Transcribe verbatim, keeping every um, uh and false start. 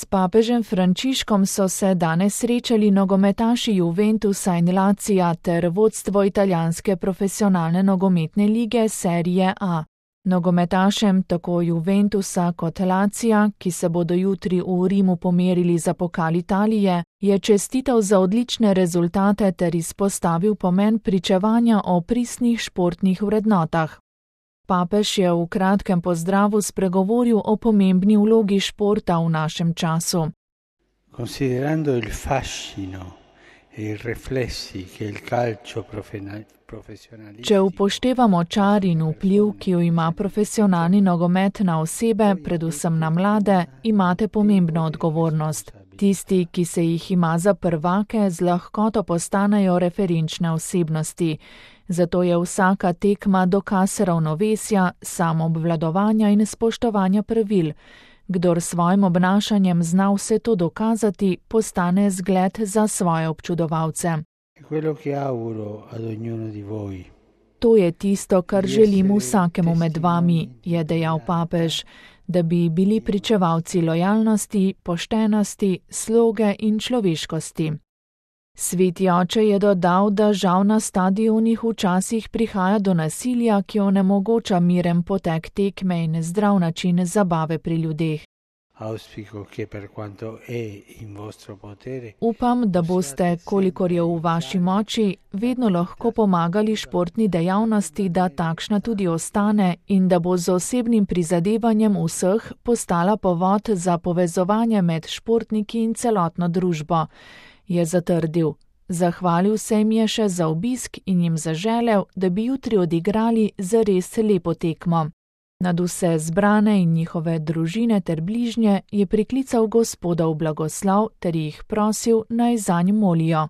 S papežem Frančiškom so se danes srečali nogometaši Juventusa in Lazija ter vodstvo italijanske profesionalne nogometne lige Serie A. Nogometašem tako Juventusa kot Lazija, ki se bodo jutri v Rimu pomerili za pokal Italije, je čestital za odlične rezultate ter izpostavil pomen pričevanja o pristnih športnih vrednotah. Papež je v kratkem pozdravu spregovoril o pomembni vlogi športa v našem času. Considerando il fascino e i riflessi che il calcio professionalistico. Če upoštevamo čar in vpliv, ki jo ima profesionalni nogomet na osebe, predvsem na mlade, imate pomembno odgovornost. Tisti, ki se jih ima za prvake, z lahkoto postanejo referenčne osebnosti. Zato je vsaka tekma dokaz ravnovesja, samoobvladovanja in spoštovanja pravil. Kdor s svojim obnašanjem zna vse to dokazati, postane zgled za svoje občudovalce. To je tisto, kar želim vsakemu med vami, je dejal papež, da bi bili pričevalci lojalnosti, poštenosti, sloge in človeškosti. Sveti oče je dodal, da žal na stadionih včasih prihaja do nasilja, ki onemogoča miren potek tekme in zdrav način zabave pri ljudeh. Upam, da boste, kolikor je v vaši moči, vedno lahko pomagali športni dejavnosti, da takšna tudi ostane in da bo z osebnim prizadevanjem vseh postala povod za povezovanje med športniki in celotno družbo, je zatrdil. Zahvalil se jim je še za obisk in jim zaželel, da bi jutri odigrali zares lepo tekmo. Nad vse zbrane in njihove družine ter bližnje je priklical Gospodov blagoslov ter jih prosil, naj zanj molijo.